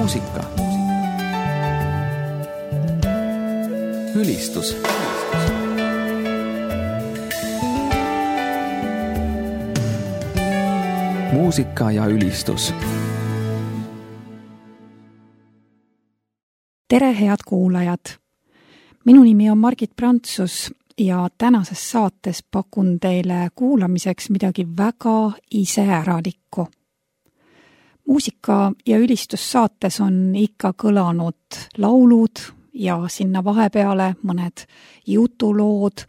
muusika. Ülistus. Muusika ja ülistus. Tere, head kuulajad! Minu nimi on Margit Prantsus ja tänases saates pakun teile kuulamiseks midagi väga iseäralikku. Muusika ja ülistussaates on ikka kõlanud laulud ja sinna vahepeale mõned jutulood,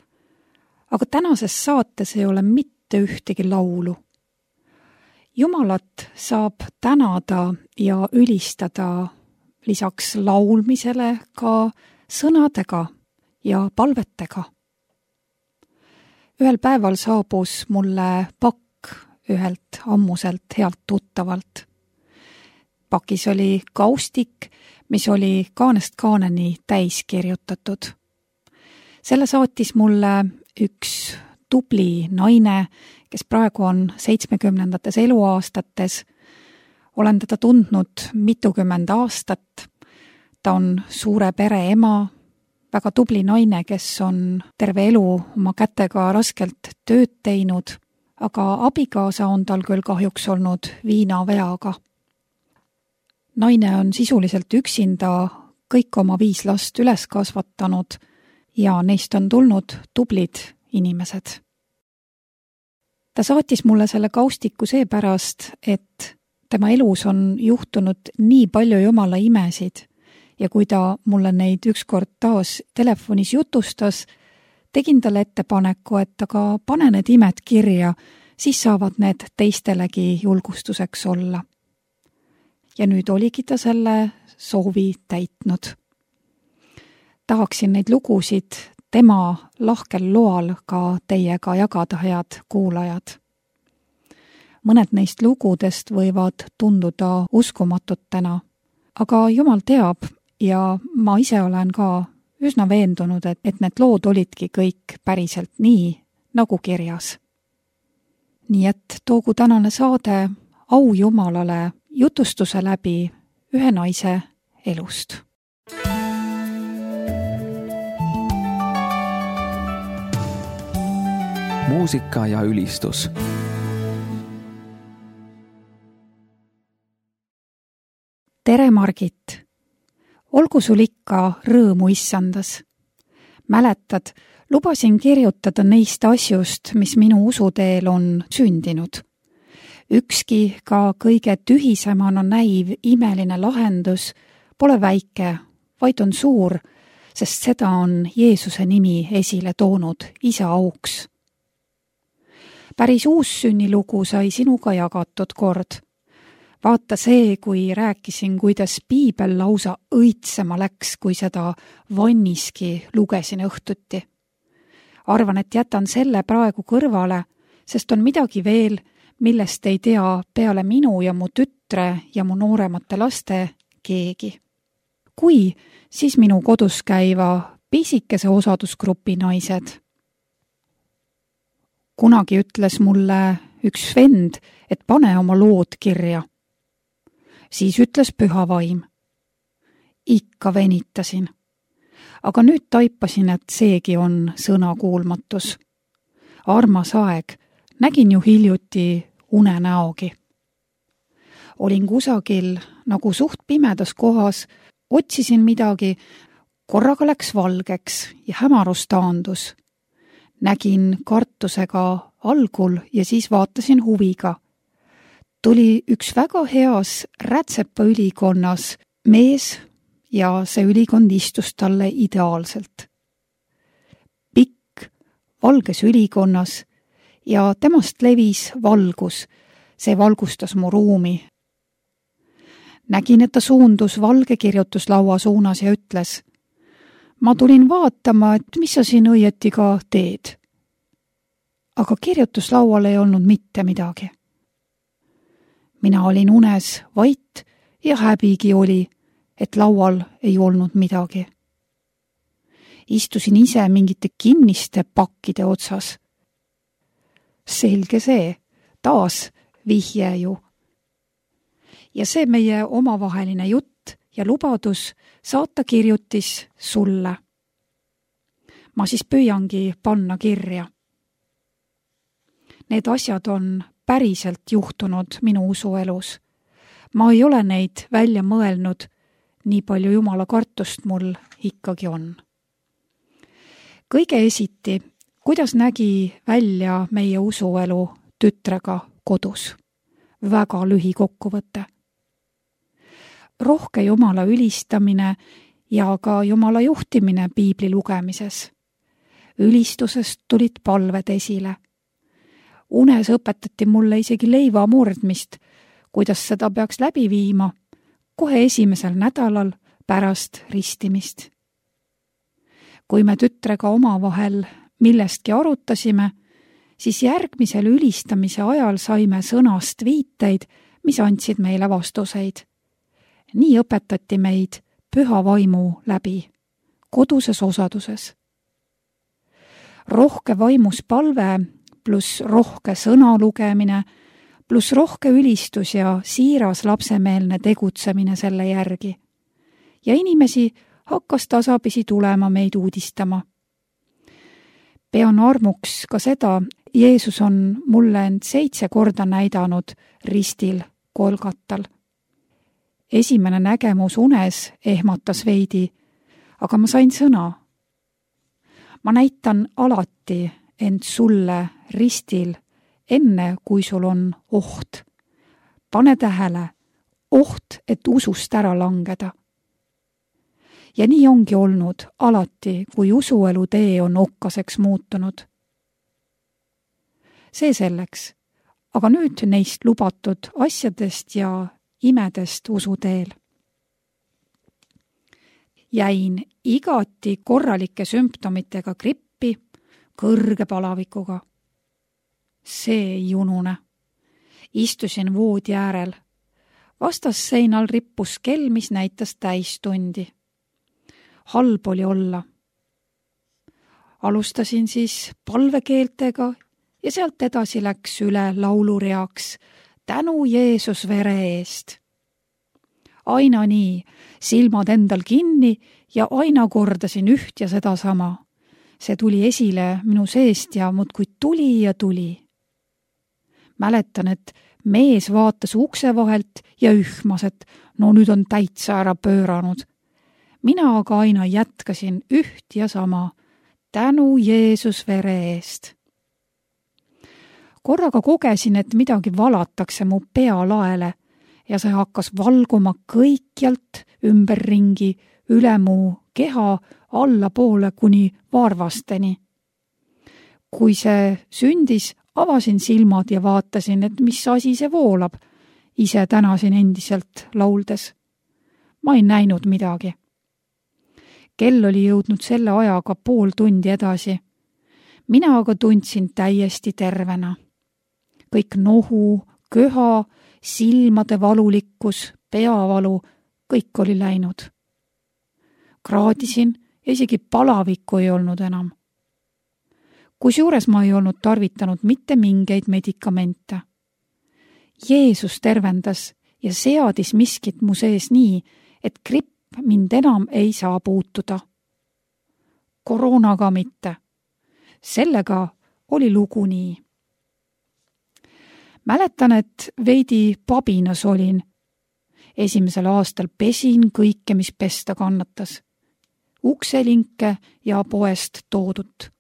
aga tänases saates ei ole mitte ühtegi laulu. Jumalat saab tänada ja ülistada lisaks laulmisele ka sõnadega ja palvetega. Ühel päeval saabus mulle pakk ühelt ammuselt healt tuttavalt. Pakis oli kaustik, mis oli kaanest kaaneni täis kirjutatud. Selle saatis mulle üks tubli naine, kes praegu on 70. eluaastates. Olen teda tundnud mitukümmend aastat. Ta on suure pere ema, väga tubli naine, kes on terve elu oma kätega raskelt tööd teinud, aga abikaasa on tal küll kahjuks olnud viinaveaga. Naine on sisuliselt üksinda kõik oma 5 last üles kasvatanud ja neist on tulnud tublid inimesed. Ta saatis mulle selle kaustiku seepärast, et tema elus on juhtunud nii palju Jumala imesid ja kui ta mulle neid ükskord taas telefonis jutustas, tegin talle ettepaneku, et aga pane need imed kirja, siis saavad need teistelegi julgustuseks olla. Ja nüüd oligi ta selle soovi täitnud. Tahaksin neid lugusid tema lahkel loal ka teiega jagada, head kuulajad. Mõned neist lugudest võivad tunduda uskumatutena, aga Jumal teab ja ma ise olen ka üsna veendunud, et need lood olidki kõik päriselt nii, nagu kirjas. Nii et toogu tänane saade au Jumalale jutustuse läbi ühe naise elust. Muusika ja ülistus. Tere, Margit! Olgu sul ikka rõõmu issandas. Mäletad, lubasin kirjutada neist asjust, mis minu usuteel on sündinud. Ükski ka kõige tühisemana näiv imeline lahendus pole väike, vaid on suur, sest seda on Jeesuse nimi esile toonud Isa auks. Päris uussünnilugu sai sinuga jagatud kord. Vaata see, kui rääkisin, kuidas Piibel lausa õitsema läks, kui seda vanniski lugesin õhtuti. Arvan, et jätan selle praegu kõrvale, sest on midagi veel, millest ei tea peale minu ja mu tütre ja mu nooremate laste keegi. Kui, siis minu kodus käiva pisikese osadusgrupi naised. Kunagi ütles mulle üks vend, et pane oma lood kirja. Siis ütles püha vaim. Ikka venitasin. Aga nüüd taipasin, et seegi on sõnakuulmatus. Armas aeg, nägin ju hiljuti unenäogi. Olin kusagil nagu suht pimedas kohas, otsisin midagi, korraga läks valgeks ja hämarus taandus. Nägin kartusega algul ja siis vaatasin huviga. Tuli üks väga heas rätsepa ülikonnas mees ja see ülikond istus talle ideaalselt. Pikk, valges ülikonnas ja temast levis valgus, see valgustas mu ruumi. Nägin, et ta suundus valge kirjutuslaua suunas ja ütles, ma tulin vaatama, et mis sa siin õieti ka teed. Aga kirjutuslaual ei olnud mitte midagi. Mina olin unes vait ja häbigi oli, et laual ei olnud midagi. Istusin ise mingite kinniste pakkide otsas. Selge see, taas vihje ju. Ja see meie omavaheline jutt ja lubadus saata kirjutis sulle. Ma siis püüangi panna kirja. Need asjad on päriselt juhtunud minu usuelus. Ma ei ole neid välja mõelnud, nii palju Jumala kartust mul ikkagi on. Kõige esiti, kuidas nägi välja meie usuelu tütrega kodus? Väga lühikokkuvõte. Rohke Jumala ülistamine ja ka Jumala juhtimine piibli lugemises. Ülistusest tulid palved esile. Unes õpetati mulle isegi leiva murdmist, kuidas seda peaks läbi viima kohe esimesel nädalal pärast ristimist. Kui me tütrega omavahel millestki arutasime, siis järgmisel ülistamise ajal saime sõnast viiteid, mis andsid meile vastuseid. Nii õpetati meid püha vaimu läbi, koduses osaduses. Rohke vaimus palve pluss rohke sõna lugemine, pluss rohke ülistus ja siiras lapsemeelne tegutsemine selle järgi. Ja inimesi hakkas tasapisi tulema meid uudistama. Pean armuks ka seda, Jeesus on mulle end 7 korda näidanud ristil Golgatal. Esimene nägemus unes ehmatas veidi, aga ma sain sõna. Ma näitan alati end sulle ristil, enne kui sul on oht. Pane tähele, oht, et usust ära langeda. Ja nii ongi olnud alati, kui usuelu tee on okkaseks muutunud. See selleks, aga nüüd neist lubatud asjadest ja imedest usuteel. Jäin igati korralike sümptomitega grippi, kõrge palavikuga. See ei unune. Istusin voodi äärel. Vastasseinal rippus kell, mis näitas täistundi. Halb oli olla. Alustasin siis palvekeeltega ja sealt edasi läks üle laulureaks Tänu Jeesus vere eest. Aina nii, silmad endal kinni ja aina kordasin üht ja seda sama. See tuli esile minu seest ja muudkui tuli ja tuli. Mäletan, et mees vaatas ukse vahelt ja ühmas, et no nüüd on täitsa ära pööranud. Mina aga aina jätkasin üht ja sama. Tänu Jeesus vere eest. Korraga kogesin, et midagi valatakse mu pealaele ja see hakkas valguma kõikjalt ümberringi üle mu keha allapoole kuni varvasteni. Kui see sündis, avasin silmad ja vaatasin, et mis asi see voolab. Ise tänasin endiselt lauldes. Ma ei näinud midagi. Kell oli jõudnud selle ajaga pool tundi edasi. Mina aga tundsin täiesti tervena. Kõik nohu, köha, silmade valulikkus, peavalu, kõik oli läinud. Kraadisin ja isegi palavikku ei olnud enam. Kusjuures ma ei olnud tarvitanud mitte mingeid medikamente. Jeesus tervendas ja seadis miskit mu sees nii, et gripp mind enam ei saa puutuda. Koroonaga mitte. Sellega oli lugu nii. Mäletan, et veidi pabinas olin. Esimesel aastal pesin kõike, mis pesta kannatas. Ukselinke ja poest toodut.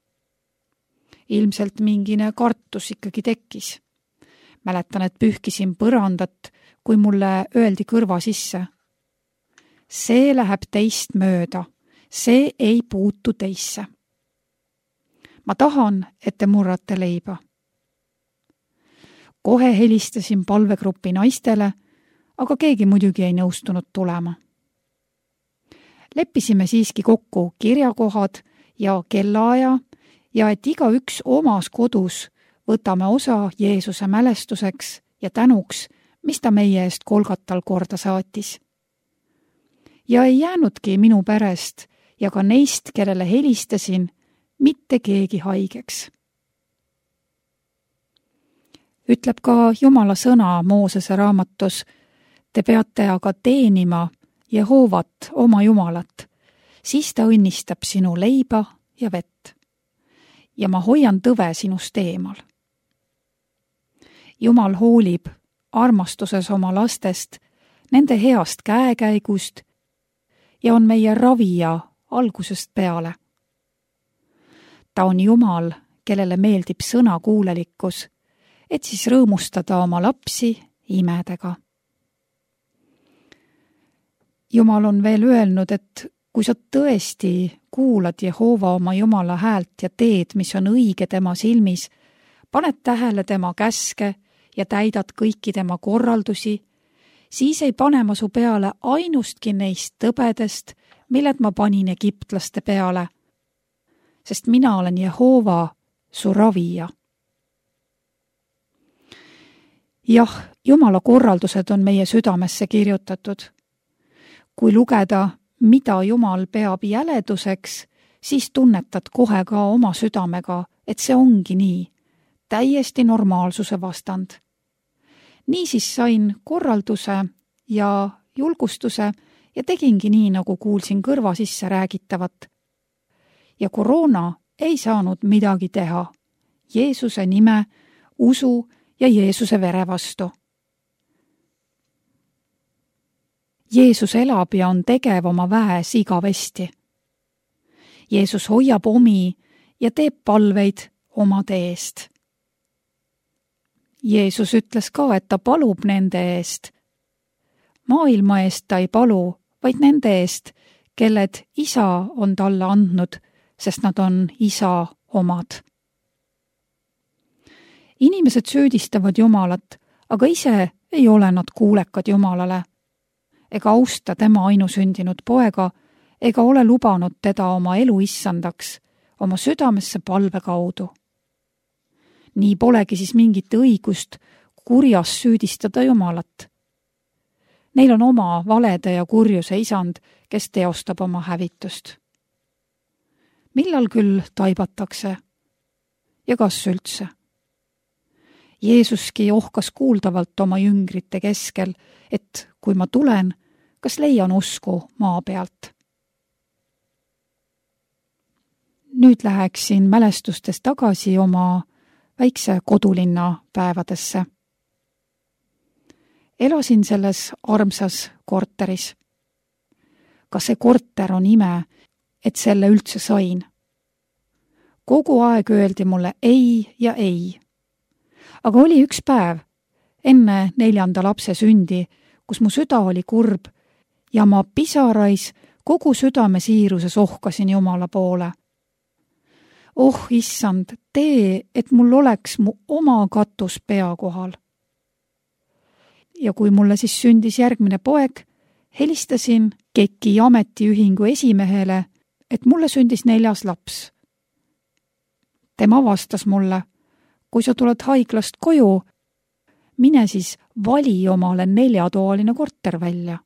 Ilmselt mingine kartus ikkagi tekkis. Mäletan, et pühkisin põrandat, kui mulle öeldi kõrva sisse. See läheb teist mööda. See ei puutu teisse. Ma tahan, et te murrate leiba. Kohe helistasin palvegrupi naistele, aga keegi muidugi ei nõustunud tulema. Leppisime siiski kokku kirjakohad ja kellaaja ja et igaüks omas kodus võtame osa Jeesuse mälestuseks ja tänuks, mis ta meie eest Golgatal korda saatis. Ja ei jäänudki minu perest ja ka neist, kellele helistasin, mitte keegi haigeks. Ütleb ka Jumala sõna Moosese raamatus, te peate aga teenima Jehoovat, oma Jumalat, siis ta õnnistab sinu leiba ja vett. Ja ma hoian tõve sinust eemal. Jumal hoolib armastuses oma lastest, nende heast käekäigust ja on meie ravija algusest peale. Ta on Jumal, kellele meeldib sõnakuulelikkus, et siis rõõmustada oma lapsi imedega. Jumal on veel öelnud, et kui sa tõesti kuulad Jehova oma Jumala häält ja teed, mis on õige tema silmis, paned tähele tema käske ja täidad kõiki tema korraldusi, siis ei pane ma su peale ainustki neist tõbedest, milled ma panin egiptlaste peale, sest mina olen Jehova, su ravija. Jah, Jumala korraldused on meie südamesse kirjutatud. Kui lugeda, mida Jumal peab jäleduseks, siis tunnetad kohe ka oma südamega, et see ongi nii, täiesti normaalsuse vastand. Niisiis sain korralduse ja julgustuse ja tegingi nii, nagu kuulsin kõrva sisse räägitavat. Ja koroona ei saanud midagi teha Jeesuse nime, usu ja Jeesuse vere vastu. Jeesus elab ja on tegev oma väes igavesti. Jeesus hoiab omi ja teeb palveid omade eest. Jeesus ütles ka, et ta palub nende eest. Maailma eest ta ei palu, vaid nende eest, kelled isa on talle andnud, sest nad on isa omad. Inimesed süüdistavad Jumalat, aga ise ei ole nad kuulekad Jumalale, ega austa tema ainusündinud poega, ega ole lubanud teda oma elu issandaks, oma südamesse palve kaudu. Nii polegi siis mingit õigust kurjas süüdistada Jumalat. Neil on oma valede ja kurjuse isand, kes teostab oma hävitust. Millal küll taibatakse? Ja kas üldse? Jeesuski ohkas kuuldavalt oma jüngrite keskel, et kui ma tulen, kas leian usku maa pealt. Nüüd läheksin mälestustes tagasi oma väikse kodulinna päevadesse. Elasin selles armsas korteris. Ka see korter on ime, et selle üldse sain. Kogu aeg öeldi mulle ei ja ei. Aga oli üks päev, enne 4. lapse sündi, kus mu süda oli kurb ja ma pisarais kogu südame siiruses ohkasin Jumala poole. Oh, issand, tee, et mul oleks mu oma katus pea kohal. Ja kui mulle siis sündis järgmine poeg, helistasin KEK-i ametiühingu esimehele, et mulle sündis 4. laps. Tema vastas mulle, kui sa tuled haiglast koju, mine siis vali omale 4-toaline korter välja.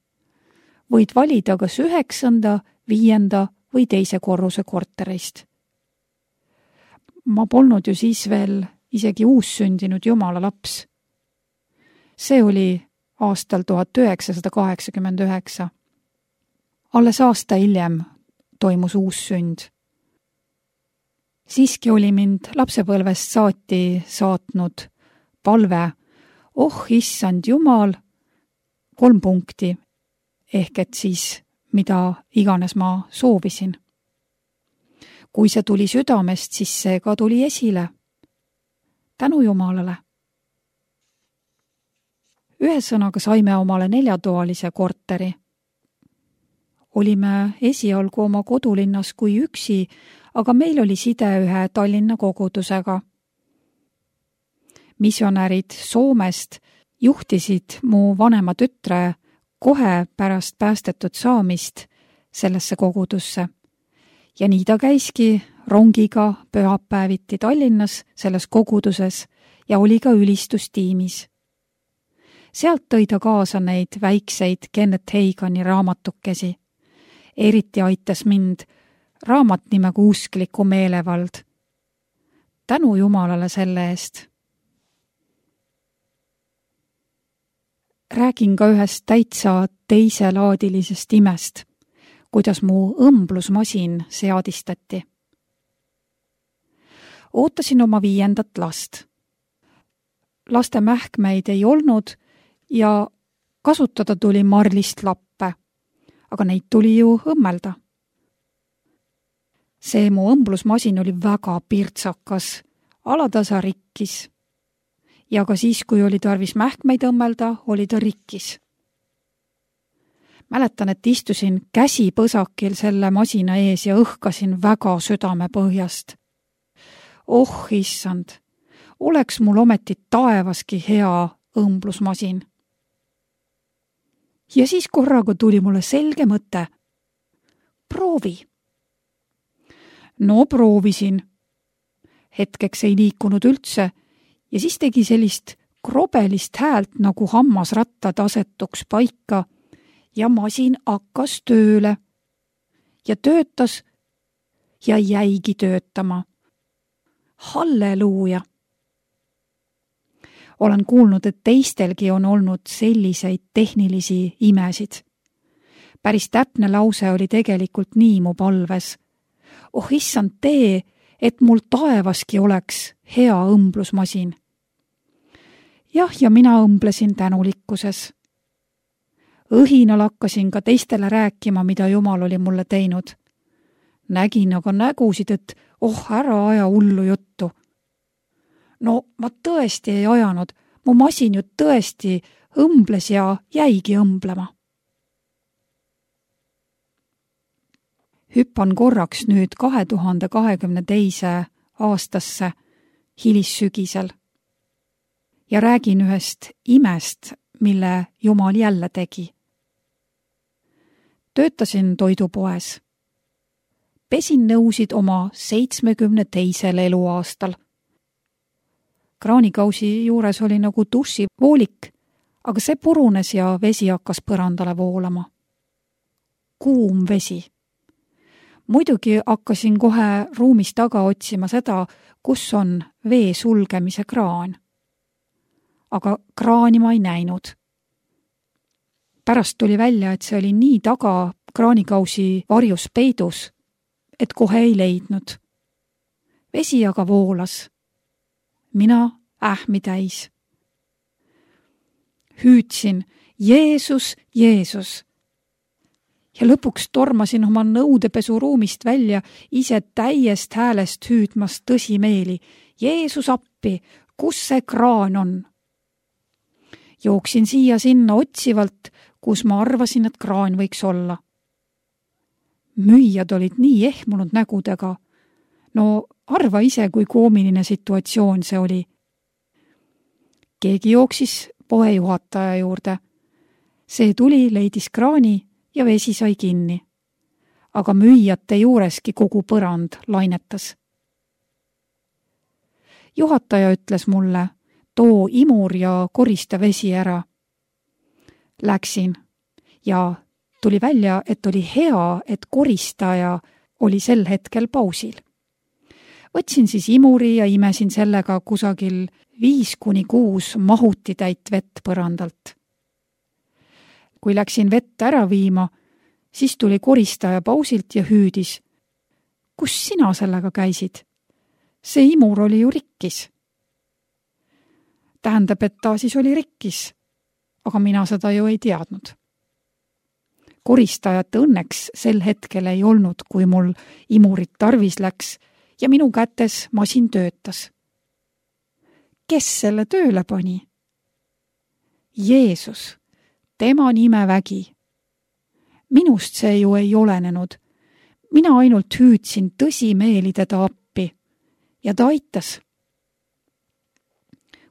Võid valida kas 9., 5. või 2. korruse korterist. Ma polnud ju siis veel isegi uussündinud Jumala laps. See oli aastal 1989. Alles aasta hiljem toimus uussünd. Siiski oli mind lapsepõlvest saati saatnud palve, oh issand Jumal, 3 punkti, ehk et siis mida iganes ma soovisin. Kui see tuli südamest, siis see ka tuli esile. Tänu Jumalale. Ühesõnaga saime omale 4-toalise korteri. Olime esialgu oma kodulinnas kui üksi, aga meil oli side ühe Tallinna kogudusega. Missionärid Soomest juhtisid mu vanema tütre kohe pärast päästetud saamist sellesse kogudusse. Ja nii ta käiski rongiga pühapäeviti Tallinnas selles koguduses ja oli ka ülistustiimis. Sealt tõi ta kaasa neid väikseid Kenneth Hagani raamatukesi. Eriti aitas mind raamat nimega Uskliku meelevald. Tänu Jumalale selle eest. räägin ka ühest täitsa teiselaadilisest imest, kuidas mu õmblusmasin seadistati. Ootasin oma 5. last. Laste mähkmeid ei olnud ja kasutada tuli marlist lappe, aga neid tuli ju õmmelda. See mu õmblusmasin oli väga pirtsakas, alatasa rikkis. Ja ka siis, kui oli tarvis mähkmeid õmmelda, oli ta rikkis. Mäletan, et istusin käsipõsakil selle masina ees ja õhkasin väga südame põhjast. Oh, issand, oleks mul ometi taevaski hea õmblusmasin. Ja siis korraga tuli mulle selge mõte. Proovi. No proovisin. Hetkeks ei liikunud üldse ja siis tegi sellist krobelist häält, nagu hammasrattad asetuks paika ja masin hakkas tööle ja töötas ja jäigi töötama. Halleluuja! Olen kuulnud, et teistelgi on olnud selliseid tehnilisi imesid. Päris täpne lause oli tegelikult nii mu palves. Oh, issand, tee, et mul taevaski oleks hea õmblusmasin. Jah, ja mina õmblesin tänulikkuses. Õhinal hakkasin ka teistele rääkima, mida Jumal oli mulle teinud. Nägin aga nägusid, et ära aja hullu juttu. No, ma tõesti ei ajanud, mu masin ju tõesti õmbles ja jäigi õmblema. Hüppan korraks nüüd 2022. aastasse hilissügisel ja räägin ühest imest, mille Jumal jälle tegi. Töötasin toidupoes. Pesin nõusid oma 72. eluaastal. Kraanikausi juures oli nagu dušivoolik, aga see purunes ja vesi hakkas põrandale voolama. Kuum vesi. Muidugi hakkasin kohe ruumis taga otsima seda, kus on vee sulgemise kraan. Aga kraani ma ei näinud. Pärast tuli välja, et see oli nii taga kraanikausi varjus peidus, et kohe ei leidnud. Vesi aga voolas. Mina ähmi täis. Hüüdsin, Jeesus, Jeesus. Ja lõpuks tormasin oma nõudepesuruumist välja, ise täiest häälest hüüdmas tõsimeeli. Jeesus appi, kus see kraan on? Jooksin siia-sinna otsivalt, kus ma arvasin, et kraan võiks olla. Müüjad olid nii ehmunud nägudega. No arva ise, kui koomiline situatsioon see oli. Keegi jooksis poejuhataja juurde. See tuli, leidis kraani ja vesi sai kinni. Aga müüjate juureski kogu põrand lainetas. Juhataja ütles mulle, too imur ja korista vesi ära. Läksin ja tuli välja, et oli hea, et koristaja oli sel hetkel pausil. Võtsin siis imuri ja imesin sellega kusagil 5-6 mahutitäit vett põrandalt. Kui läksin vett ära viima, siis tuli koristaja pausilt ja hüüdis. Kus sina sellega käisid? See imur oli ju rikkis. Tähendab, et ta siis oli rikkis, aga mina seda ju ei teadnud. Koristajat õnneks sel hetkel ei olnud, kui mul imurit tarvis läks ja minu kätes masin töötas. Kes selle tööle pani? Jeesus, tema nimevägi. Minust see ju ei olenenud. Mina ainult hüüdsin tõsimeeli teda appi ja ta aitas.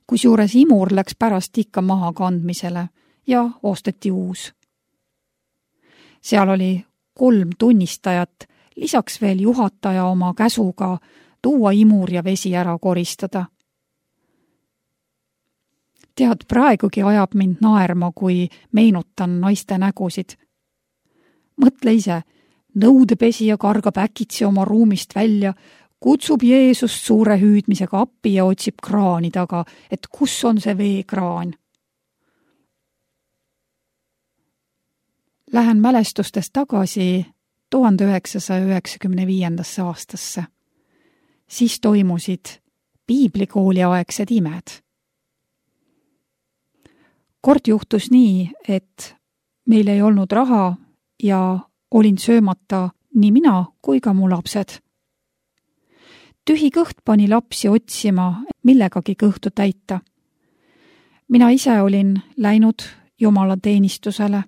Kusjuures imur läks pärast ikka maha kandmisele ja osteti uus. Seal oli 3 tunnistajat, lisaks veel juhataja oma käsuga tuua imur ja vesi ära koristada. Tead, praegugi ajab mind naerma, kui meenutan naiste nägusid. Mõtle ise, nõudepesija kargab äkitsi oma ruumist välja, kutsub Jeesust suure hüüdmisega appi ja otsib kraani taga, et kus on see veekraan. lähen mälestustes tagasi 1995. aastasse. Siis toimusid piiblikooliaegsed imed. Kord juhtus nii, et meil ei olnud raha ja olin söömata nii mina kui ka mu lapsed. Tühi kõht pani lapsi otsima, millegagi kõhtu täita. Mina ise olin läinud jumalateenistusele.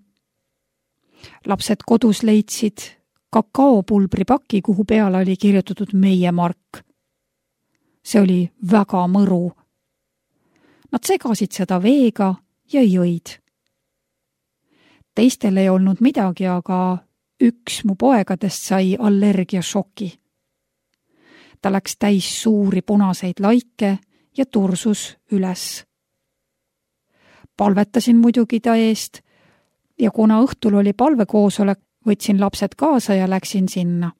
Lapsed kodus leidsid kakaopulbripaki, kuhu peale oli kirjutatud meie mark. See oli väga mõru. Nad segasid seda veega ja jõid. Teistel ei olnud midagi, aga üks mu poegadest sai allergiašoki. Ta läks täis suuri punaseid laike ja tursus üles. Palvetasin muidugi ta eest ja kuna õhtul oli palvekoosolek, võtsin lapsed kaasa ja läksin sinna.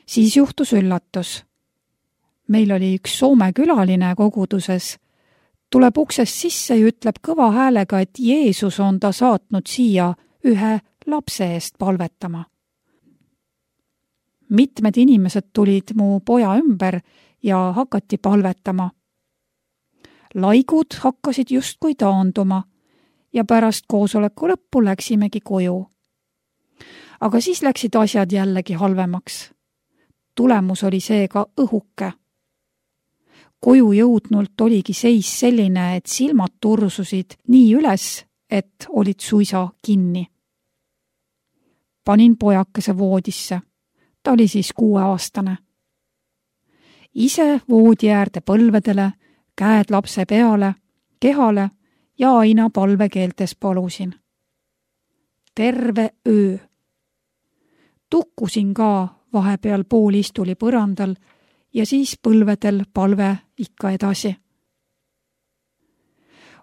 Siis juhtus üllatus. Meil oli üks Soome külaline koguduses. Tuleb uksest sisse ja ütleb kõva häälega, et Jeesus on ta saatnud siia ühe lapse eest palvetama. Mitmed inimesed tulid mu poja ümber ja hakati palvetama. Laigud hakkasid justkui taanduma ja pärast koosoleku lõppu läksimegi koju. Aga siis läksid asjad jällegi halvemaks. Tulemus oli seega õhuke. Koju jõudnult oligi seis selline, et silmad tursusid nii üles, et olid suisa kinni. Panin pojakese voodisse. Ta oli siis 6-aastane. Ise voodi äärde põlvedele, käed lapse peale, kehale ja aina palvekeeltes palusin. Terve öö. Tukkusin ka vahepeal poolistuli põrandal ja siis põlvedel palve ikka edasi.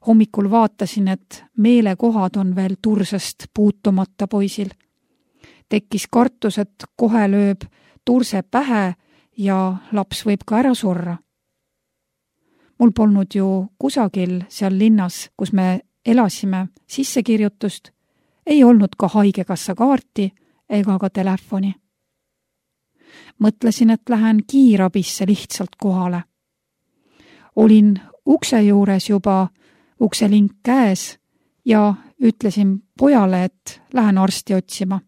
Hommikul vaatasin, et meelekohad on veel tursest puutumata poisil. Tekkis kartus, et kohe lööb turse pähe ja laps võib ka ära surra. Mul polnud ju kusagil seal linnas, kus me elasime, sissekirjutust, ei olnud ka haigekassa kaarti ega ka telefoni. Mõtlesin, et lähen kiirabisse lihtsalt kohale. Olin ukse juures juba, ukselink käes ja ütlesin pojale, et lähen arsti otsima.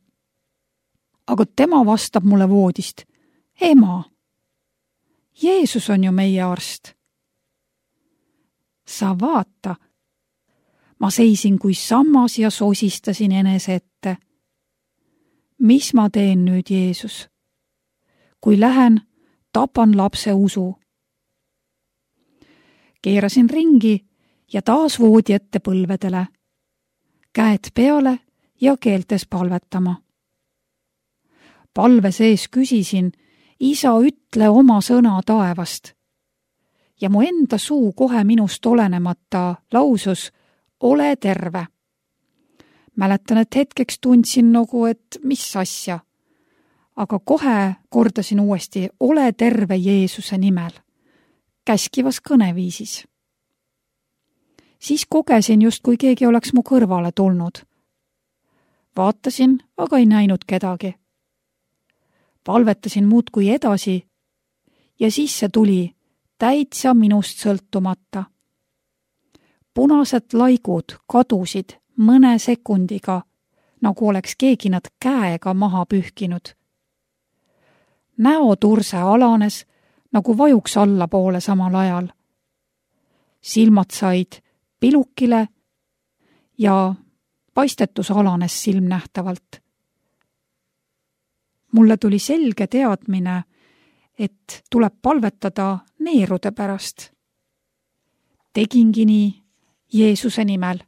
Aga tema vastab mulle voodist. Ema, Jeesus on ju meie arst. Sa vaata. Ma seisin kui sammas ja sosistasin enese ette. Mis ma teen nüüd, Jeesus? Kui lähen, tapan lapse usu. Keerasin ringi ja taas voodi ette põlvedele. Käed peale ja keeltes palvetama. Palve sees küsisin, Isa, ütle oma sõna taevast. Ja mu enda suu kohe minust olenemata lausus, ole terve. Mäletan, et hetkeks tundsin nagu, et mis asja. Aga kohe kordasin uuesti, ole terve Jeesuse nimel. Käskivas kõneviisis. Siis kogesin just, kui keegi oleks mu kõrvale tulnud. Vaatasin, aga ei näinud kedagi. Palvetasin muudkui edasi ja siis see tuli täitsa minust sõltumata. Punased laigud kadusid mõne sekundiga, nagu oleks keegi nad käega maha pühkinud. Näoturse alanes, nagu vajuks allapoole samal ajal. Silmad said pilukile ja paistetus alanes silmnähtavalt. Mulle tuli selge teadmine, et tuleb palvetada neerude pärast. Tegingi nii Jeesuse nimel.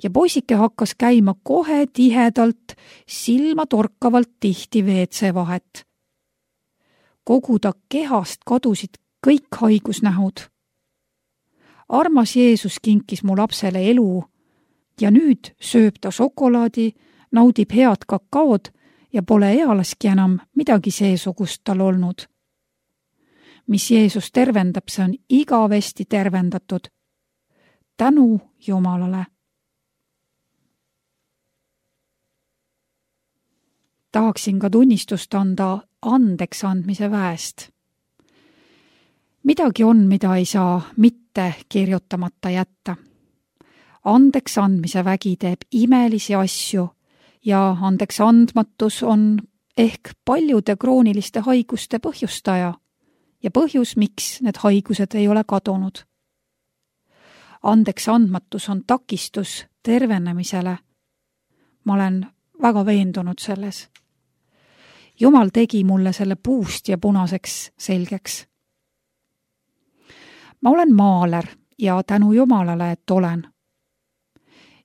Ja poisike hakkas käima kohe tihedalt, silma torkavalt tihti WC vahet. Kogu ta kehast kadusid kõik haigusnähud. Armas Jeesus kinkis mu lapsele elu ja nüüd sööb ta šokolaadi, naudib head kakaod ja pole ealaski enam midagi seesugust tal olnud. Mis Jeesus tervendab, see on igavesti tervendatud. Tänu Jumalale. tahaksin ka tunnistust anda andeks andmise väest. Midagi on, mida ei saa mitte kirjutamata jätta. Andeks andmise vägi teeb imelisi asju ja andeks andmatus on ehk paljude krooniliste haiguste põhjustaja ja põhjus, miks need haigused ei ole kadunud. Andeks andmatus on takistus tervenemisele. Ma olen väga veendunud selles. Jumal tegi mulle selle puust ja punaseks selgeks. Ma olen maaler ja tänu Jumalale, et olen.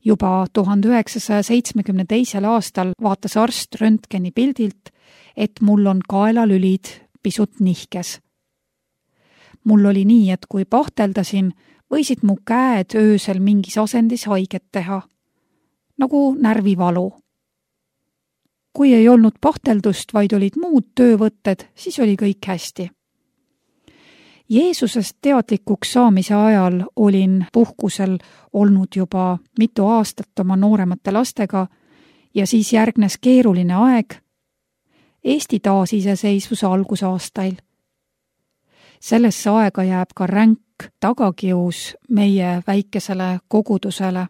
Juba 1972. aastal vaatas arst röntgeni pildilt, et mul on kaelalülid pisut nihkes. Mul oli nii, et kui pahteldasin, võisid mu käed öösel mingis asendis haiget teha, nagu närvivalu. Kui ei olnud pahteldust, vaid olid muud töövõtted, siis oli kõik hästi. Jeesusest teadlikuks saamise ajal olin puhkusel olnud juba mitu aastat oma nooremate lastega ja siis järgnes keeruline aeg Eesti taasiseseisvuse algusaastail. Sellesse aega jääb ka ränk tagakius meie väikesele kogudusele.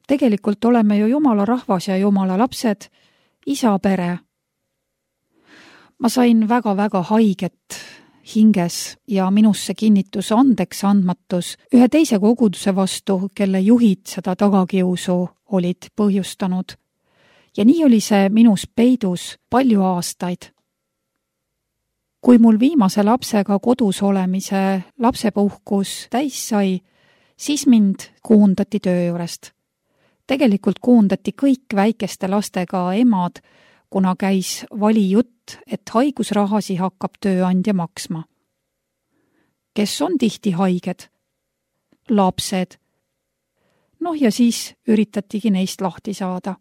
Tegelikult oleme ju Jumala rahvas ja Jumala lapsed, isa pere. Ma sain väga-väga haiget hinges ja minusse kinnitus andeks andmatus ühe teise koguduse vastu, kelle juhid seda tagakiusu olid põhjustanud. Ja nii oli see minus peidus palju aastaid. Kui mul viimase lapsega kodus olemise lapsepuhkus täis sai, siis mind koondati töö juurest. Tegelikult koondati kõik väikeste lastega emad, kuna käis valijutt, et haigusrahasi hakkab tööandja maksma. Kes on tihti haiged? Lapsed. Ja siis üritatigi neist lahti saada.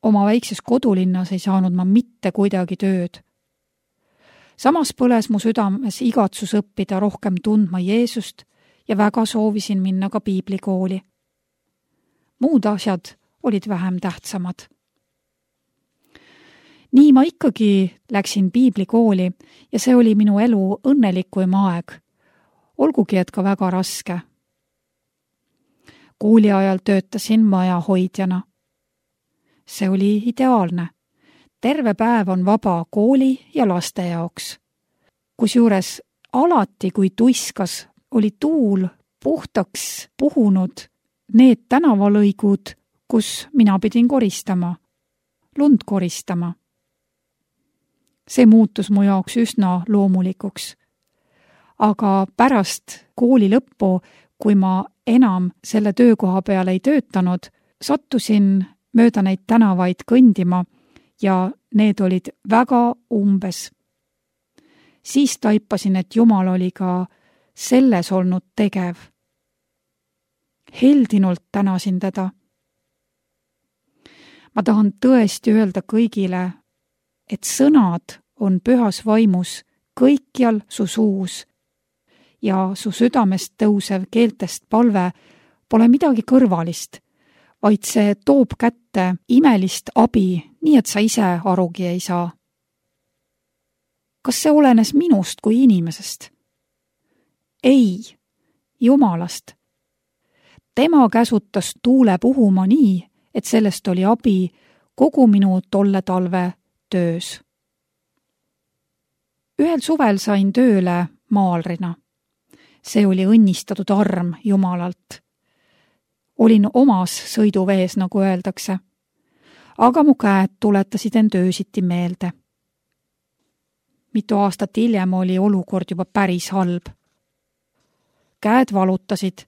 Oma väikses kodulinnas ei saanud ma mitte kuidagi tööd. Samas põles mu südames igatsus õppida rohkem tundma Jeesust ja väga soovisin minna ka piiblikooli. Muud asjad olid vähem tähtsamad. Nii ma ikkagi läksin piiblikooli ja see oli minu elu õnnelikuim aeg, olgugi et ka väga raske. Kooli ajal töötasin majahoidjana. See oli ideaalne. Terve päev on vaba kooli ja laste jaoks. Kusjuures alati, kui tuiskas, oli tuul puhtaks puhunud need tänavalõigud, kus mina pidin koristama, lund koristama. See muutus mu jaoks üsna loomulikuks. Aga pärast kooli lõppu, kui ma enam selle töökoha peale ei töötanud, sattusin mööda neid tänavaid kõndima ja need olid väga umbes. Siis taipasin, et Jumal oli ka selles olnud tegev. Heldinult tänasin teda. Ma tahan tõesti öelda kõigile, et sõnad on pühas vaimus kõikjal su suus ja su südamest tõusev keeltest palve pole midagi kõrvalist, vaid see toob kätte imelist abi, nii et sa ise arugi ei saa. Kas see olenes minust kui inimesest? Ei, Jumalast. Tema käsutas tuule puhuma nii, et sellest oli abi kogu minu tolle talve töös. Ühel suvel sain tööle maalrina. See oli õnnistatud arm Jumalalt. Olin omas sõiduvees, nagu öeldakse. Aga mu käed tuletasid end öösiti meelde. Mitu aastat hiljem oli olukord juba päris halb. Käed valutasid.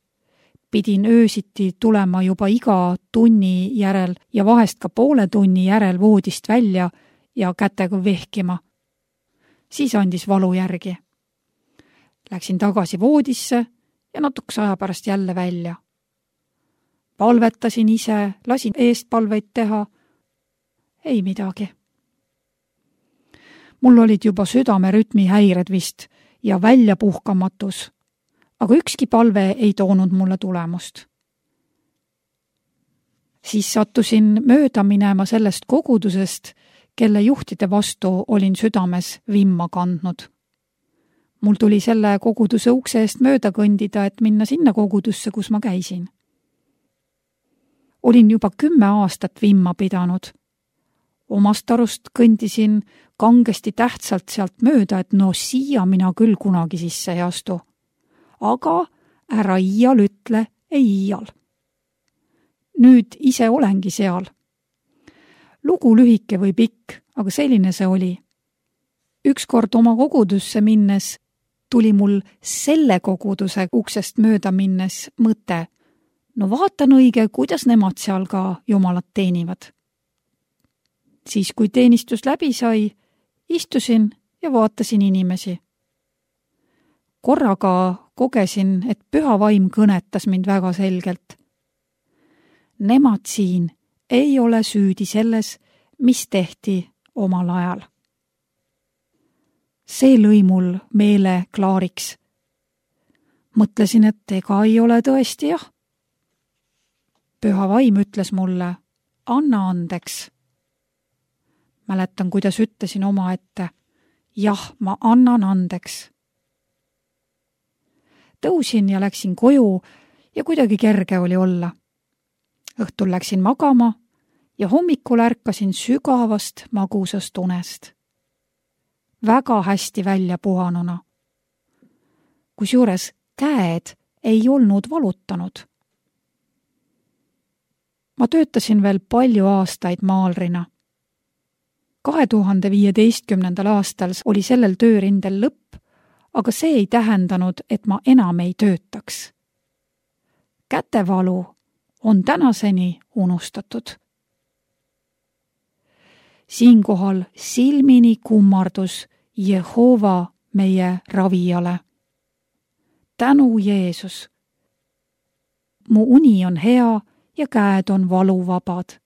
Pidin öösiti tulema juba iga tunni järel ja vahest ka poole tunni järel voodist välja ja kätega vehkima. Siis andis valu järgi. Läksin tagasi voodisse ja natukese aja pärast jälle välja. Palvetasin ise, lasin eestpalveid teha. Ei midagi. Mul olid juba südamerütmi häired vist ja väljapuhkamatus, aga ükski palve ei toonud mulle tulemust. Siis sattusin mööda minema sellest kogudusest, kelle juhtide vastu olin südames vimma kandnud. Mul tuli selle koguduse ukse eest mööda kõndida, et minna sinna kogudusse, kus ma käisin. Olin juba 10 aastat vimma pidanud. Omast arust kõndisin kangesti tähtsalt sealt mööda, et no siia mina küll kunagi sisse ei astu. Aga ära iial ütle ei iial. Nüüd ise olengi seal. Lugu lühike või pikk, aga selline see oli. Ükskord oma kogudusse minnes tuli mul selle koguduse uksest mööda minnes mõte. No vaatan õige, kuidas nemad seal ka jumalat teenivad. Siis, kui teenistus läbi sai, istusin ja vaatasin inimesi. Korraga kogesin, et püha vaim kõnetas mind väga selgelt. Nemad siin ei ole süüdi selles, mis tehti omal ajal. See lõi mul meele klaariks. Mõtlesin, et ega ei ole tõesti jah. Püha vaim ütles mulle, anna andeks. Mäletan, kuidas ütlesin oma ette, jah, ma annan andeks. Tõusin ja läksin koju ja kuidagi kerge oli olla. Õhtul läksin magama ja hommikul ärkasin sügavast magusast unest. Väga hästi välja puhanuna. Kusjuures käed ei olnud valutanud. Ma töötasin veel palju aastaid maalrina. 2015. aastal oli sellel töörindel lõpp, aga see ei tähendanud, et ma enam ei töötaks. Kätevalu on tänaseni unustatud. Siinkohal silmini kummardus Jehova meie ravijale. Tänu Jeesus. Mu uni on hea ja käed on valuvabad.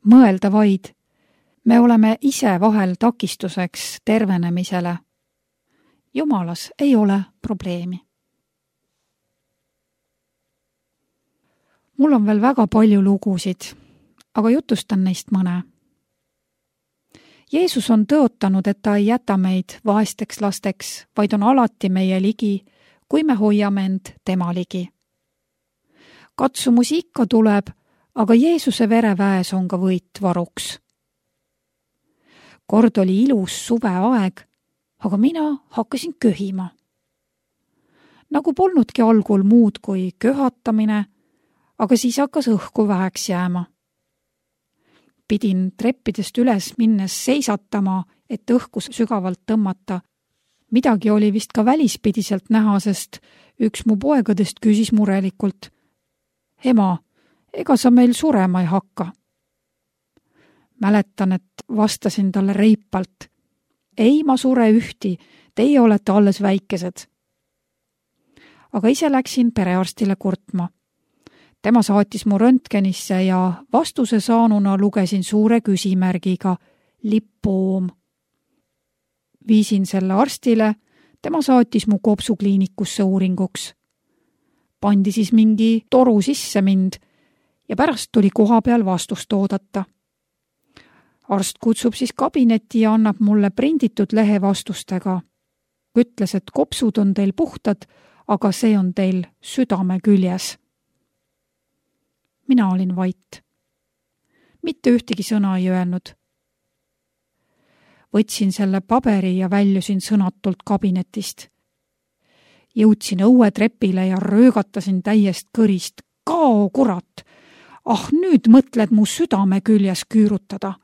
Mõelda vaid, me oleme ise vahel takistuseks tervenemisele. Jumalas ei ole probleemi. Mul on veel väga palju lugusid, aga jutustan neist mõne. Jeesus on tõotanud, et ta ei jäta meid vaesteks lasteks, vaid on alati meie ligi, kui me hoiame end tema ligi. Katsumusi ikka tuleb, aga Jeesuse vereväes on ka võit varuks. Kord oli ilus suveaeg, aga mina hakkasin köhima. Nagu polnudki algul muud kui köhatamine, aga siis hakkas õhku väheks jääma. Pidin treppidest üles minnes seisatama, et õhku sügavalt tõmmata. Midagi oli vist ka välispidiselt näha, sest üks mu poegadest küsis murelikult. Ema, ega sa meil surema ei hakka? Mäletan, et vastasin talle reipalt. Ei, ma sure ühti, teie olete alles väikesed. Aga ise läksin perearstile kurtma. Tema saatis mu röntgenisse ja vastuse saanuna lugesin suure küsimärgiga lipoom. Viisin selle arstile, tema saatis mu kopsukliinikusse uuringuks. Pandi siis mingi toru sisse mind ja pärast tuli koha peal vastust oodata. Arst kutsub siis kabinetti ja annab mulle prinditud lehe vastustega. Ütles, et kopsud on teil puhtad, aga see on teil südame küljes. Mina olin vait. Mitte ühtegi sõna ei öelnud. Võtsin selle paberi ja väljusin sõnatult kabinetist. Jõudsin õuetrepile ja röögatasin täiest kõrist. Kao, kurat! Ah, nüüd mõtled mu südame küljes küürutada.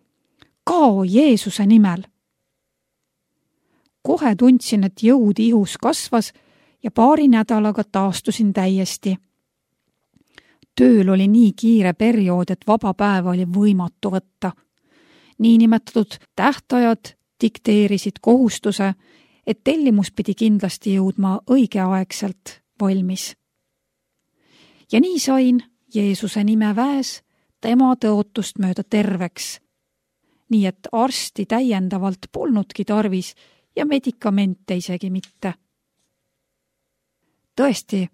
Kao Jeesuse nimel! Kohe tundsin, et jõud ihus kasvas ja paari nädalaga taastusin täiesti. Tööl oli nii kiire periood, et vaba päeva oli võimatu võtta. Niinimetatud tähtajad dikteerisid kohustuse, et tellimus pidi kindlasti jõudma õigeaegselt valmis. Ja nii sain Jeesuse nime väes tema tõotust mööda terveks. Nii et arsti täiendavalt polnudki tarvis ja medikamente isegi mitte. Tõesti,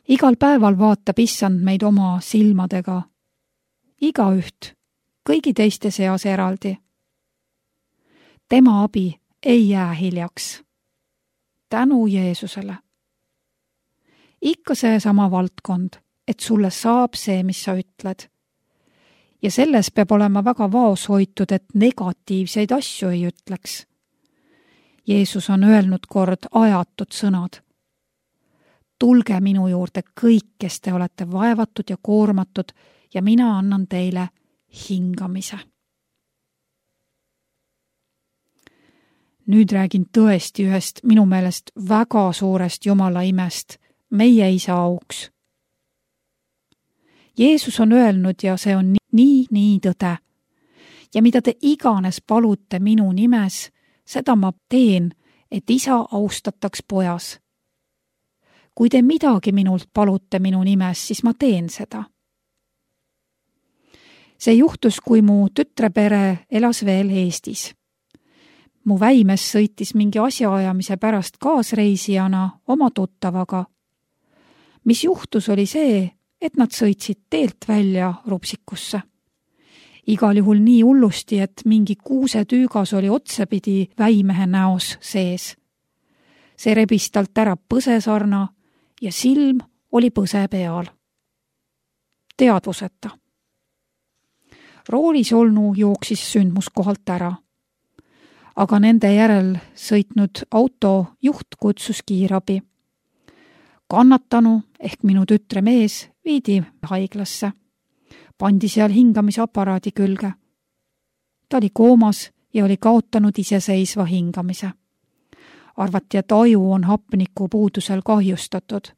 Igal päeval vaatab Issand meid oma silmadega. Igaüht, kõigi teiste seas eraldi. Tema abi ei jää hiljaks. Tänu Jeesusele. Ikka see sama valdkond, et sulle saab see, mis sa ütled. Ja selles peab olema väga vaoshoitud, et negatiivseid asju ei ütleks. Jeesus on öelnud kord ajatud sõnad. Tulge minu juurde kõik, kes te olete vaevatud ja koormatud ja mina annan teile hingamise. Nüüd räägin tõesti ühest minu meelest väga suurest Jumala imest, meie Isa auks. Jeesus on öelnud ja see on nii tõde. Ja mida te iganes palute minu nimes, seda ma teen, et Isa austataks pojas. Kui te midagi minult palute minu nimes, siis ma teen seda. See juhtus, kui mu tütrepere elas veel Eestis. Mu väimes sõitis mingi asjaajamise pärast kaasreisijana oma tuttavaga. Mis juhtus oli see, et nad sõitsid teelt välja Rupsikusse. Igal juhul nii hullusti, et mingi kuusetüügas oli otsapidi väimehe näos sees. See rebis talt ära põsesarna ja silm oli põse peal. Teadvuseta. Roolis olnu jooksis sündmuskohalt ära. Aga nende järel sõitnud auto juht kutsus kiirabi. Kannatanu ehk minu tütre mees viidi haiglasse. Pandi seal hingamisaparaadi külge. Ta oli koomas ja oli kaotanud iseseisva hingamise. Arvati, et aju on hapniku puudusel kahjustatud.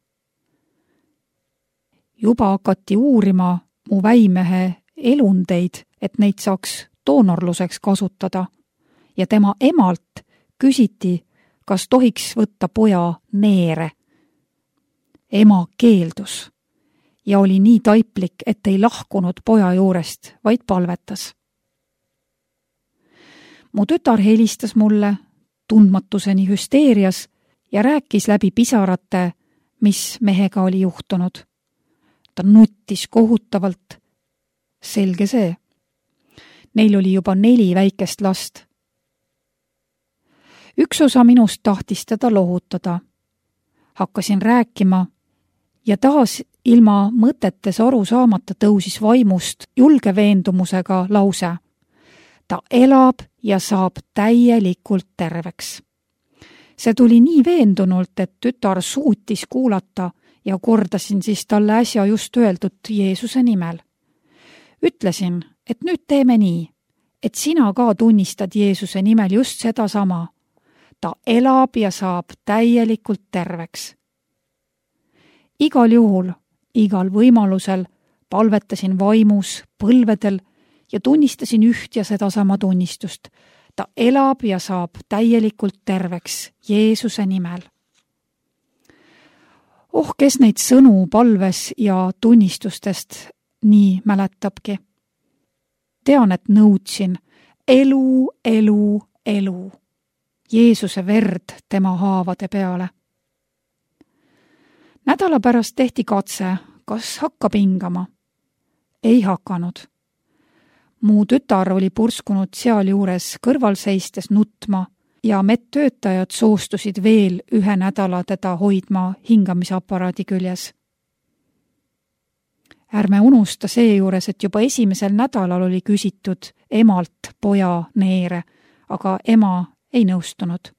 Juba hakati uurima mu väimehe elundeid, et neid saaks doonorluseks kasutada. Ja tema emalt küsiti, kas tohiks võtta poja neere. Ema keeldus ja oli nii taiplik, et ei lahkunud poja juurest, vaid palvetas. Mu tütar helistas mulle tundmatuseni hüsteerias ja rääkis läbi pisarate, mis mehega oli juhtunud. Ta nuttis kohutavalt. Selge see. Neil oli juba 4 väikest last. Üks osa minust tahtis teda lohutada. Hakkasin rääkima ja taas ilma mõtetes aru saamata tõusis vaimust julge veendumusega lause. Ta elab ja saab täielikult terveks. See tuli nii veendunult, et tütar suutis kuulata ja kordasin siis talle äsja just öeldud Jeesuse nimel. Ütlesin, et nüüd teeme nii, et sina ka tunnistad Jeesuse nimel just seda sama. Ta elab ja saab täielikult terveks. Igal juhul, igal võimalusel palvetasin vaimus, põlvedel ja tunnistasin üht ja sedasama tunnistust. Ta elab ja saab täielikult terveks Jeesuse nimel. Kes neid sõnu palves ja tunnistustest nii mäletabki. Tean, et nõudsin elu, elu, elu. Jeesuse verd tema haavade peale. Nädala pärast tehti katse, kas hakkab hingama. Ei hakanud. Mu tütar oli purskunud seal juures kõrval seistes nutma ja medtöötajad soostusid veel 1 nädala teda hoidma hingamisaparaadi küljes. Ärme unusta seejuures, et juba 1. nädalal oli küsitud emalt poja neere, aga ema ei nõustunud.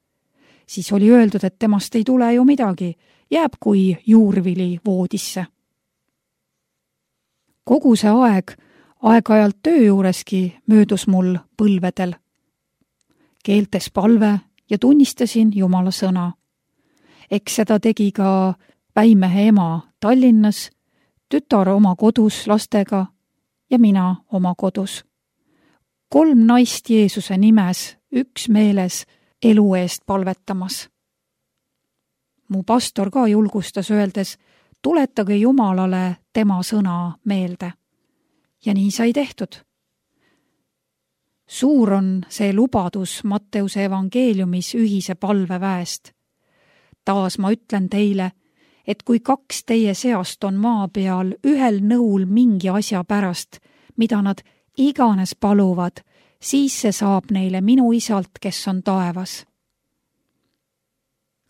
Siis oli öeldud, et temast ei tule ju midagi, jääb kui juurvili voodisse. Kogu see aeg-ajalt töö juureski möödus mul põlvedel. Keeltes palve ja tunnistasin Jumala sõna. Eks seda tegi ka väimehe ema Tallinnas, tütar oma kodus lastega ja mina oma kodus. 3 naist Jeesuse nimes, üksmeeles elu eest palvetamas. Mu pastor ka julgustas öeldes, tuletage Jumalale tema sõna meelde. Ja nii sai tehtud. Suur on see lubadus Matteuse evangeeliumis ühise palveväest. Taas ma ütlen teile, et kui 2 teie seast on maa peal ühel nõul mingi asja pärast, mida nad iganes paluvad, siis see saab neile minu isalt, kes on taevas.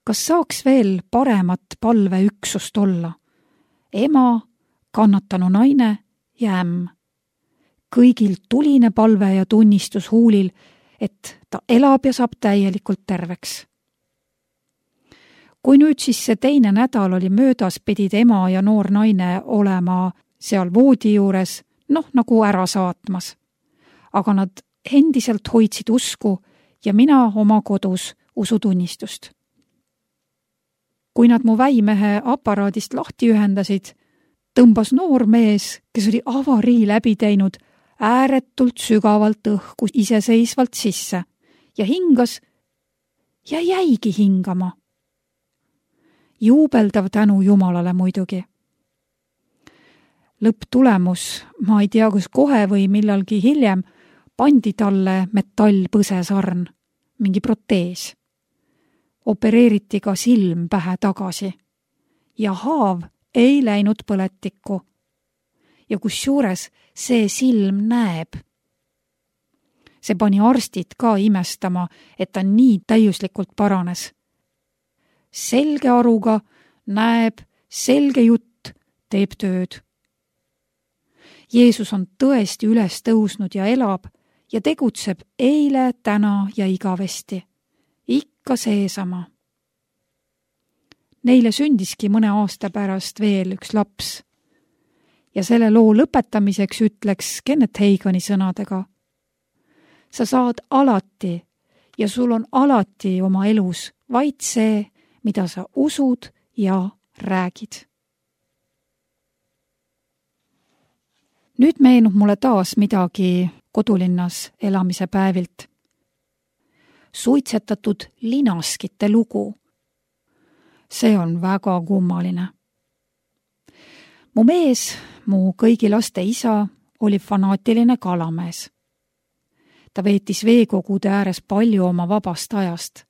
Kas saaks veel paremat palveüksust olla? Ema, kannatanu naine ja ämm. Kõigil tuline palve ja tunnistus huulil, et ta elab ja saab täielikult terveks. Kui nüüd siis see teine nädal oli möödas, pidid ema ja noor naine olema seal voodi juures, nagu ära saatmas. Aga nad endiselt hoidsid usku ja mina oma kodus usutunnistust. Kui nad mu väimehe aparaadist lahti ühendasid, tõmbas noor mees, kes oli avarii läbi teinud, ääretult sügavalt õhku iseseisvalt sisse ja hingas ja jäigi hingama. Juubeldav tänu Jumalale muidugi. Lõpptulemus, ma ei tea, kas kohe või millalgi hiljem, pandi talle metallpõsesarn, mingi protees. Opereeriti ka silm pähe tagasi ja haav ei läinud põletikku. Ja kusjuures see silm näeb. See pani arstid ka imestama, et ta nii täiuslikult paranes. Selge aruga, näeb, selge jutt, teeb tööd. Jeesus on tõesti üles tõusnud ja elab ja tegutseb eile, täna ja igavesti. Ikka seesama. Neile sündiski mõne aasta pärast veel üks laps. Ja selle loo lõpetamiseks ütleks Kenneth Hagini sõnadega. Sa saad alati ja sul on alati oma elus vaid see, mida sa usud ja räägid. Nüüd meenub mulle taas midagi kodulinnas elamise päevilt. Suitsetatud linaskite lugu. See on väga kummaline. Mu mees, mu kõigi laste isa, oli fanaatiline kalamees. Ta veetis veekogude ääres palju oma vabast ajast.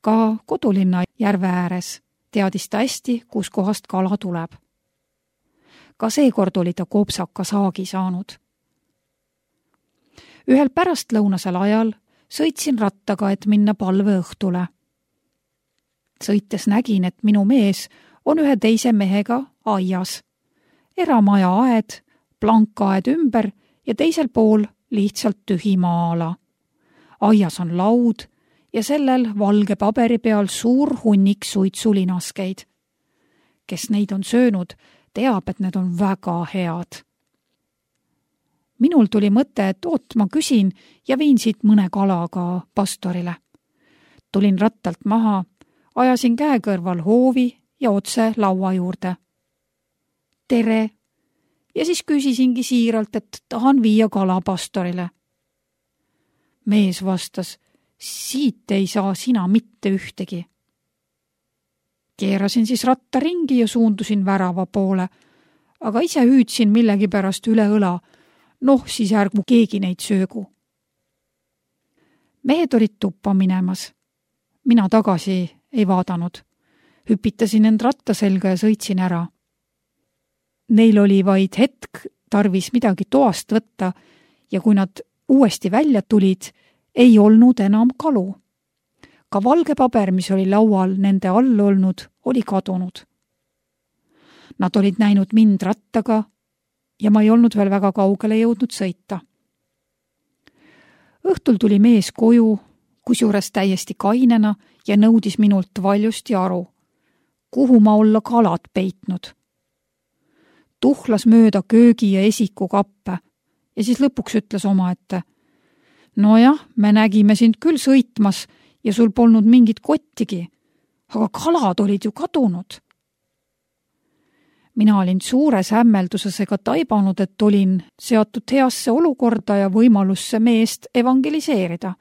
Ka kodulinna järve ääres teadis ta hästi, kus kohast kala tuleb. Ka seekord oli ta kopsaka saagi saanud. Ühel pärastlõunasel ajal sõitsin rattaga, et minna palveõhtule. Sõites nägin, et minu mees on ühe teise mehega aias. Eramaja aed, plankaed ümber ja teisel pool lihtsalt tühi maa-ala. Aias on laud ja sellel valge paberi peal suur hunnik suitsulinaskeid. Kes neid on söönud, teab, et need on väga head. Minul tuli mõte, et ma küsin ja viin siit mõne kalaga pastorile. Tulin rattalt maha, ajasin käe kõrval hoovi ja otse laua juurde. Tere! Ja siis küsisingi siiralt, et tahan viia kala pastorile. Mees vastas, siit ei saa sina mitte ühtegi. Keerasin siis ratta ringi ja suundusin värava poole, aga ise hüüdsin millegi pärast üle õla. Siis ärgu keegi neid söögu. Mehed olid tuppa minemas. Mina tagasi ei vaadanud. Hüpitasin end ratta selga ja sõitsin ära. Neil oli vaid hetk tarvis midagi toast võtta ja kui nad uuesti välja tulid, ei olnud enam kalu. Ka valge paber, mis oli laual nende all olnud, oli kadunud. Nad olid näinud mind rattaga ja ma ei olnud veel väga kaugele jõudnud sõita. Õhtul tuli mees koju, kusjuures täiesti kainena ja nõudis minult valjusti aru, kuhu ma olla kalad peitnud. Tuhlas mööda köögi ja esiku kappe ja siis lõpuks ütles omaette. Nojah, me nägime sind küll sõitmas ja sul polnud mingit kottigi, aga kalad olid ju kadunud. Mina olin suures hämmeldusesega taibanud, et olin seatud heasse olukorda ja võimalusse meest evangeliseerida.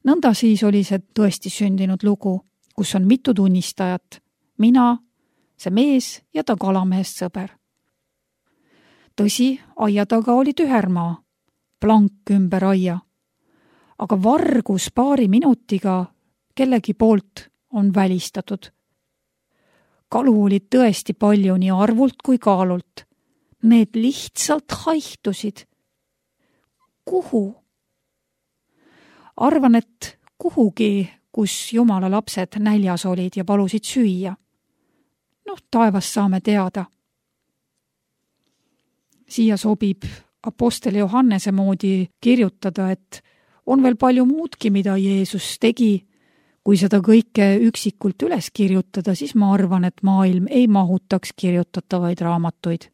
Nõnda siis oli see tõesti sündinud lugu, kus on mitu tunnistajat. Mina, see mees ja ta kalamehest sõber. Tõsi, aia taga oli tühermaa, plank ümber aia. Aga vargus paari minutiga kellegi poolt on välistatud. Kalu oli tõesti palju nii arvult kui kaalult. Need lihtsalt haihtusid. Kuhu? Arvan, et kuhugi, kus Jumala lapsed näljas olid ja palusid süüa. Taevas saame teada. Siia sobib apostel Johannese moodi kirjutada, et on veel palju muudki, mida Jeesus tegi. Kui seda kõike üksikult üles kirjutada, siis ma arvan, et maailm ei mahutaks kirjutatavaid raamatuid.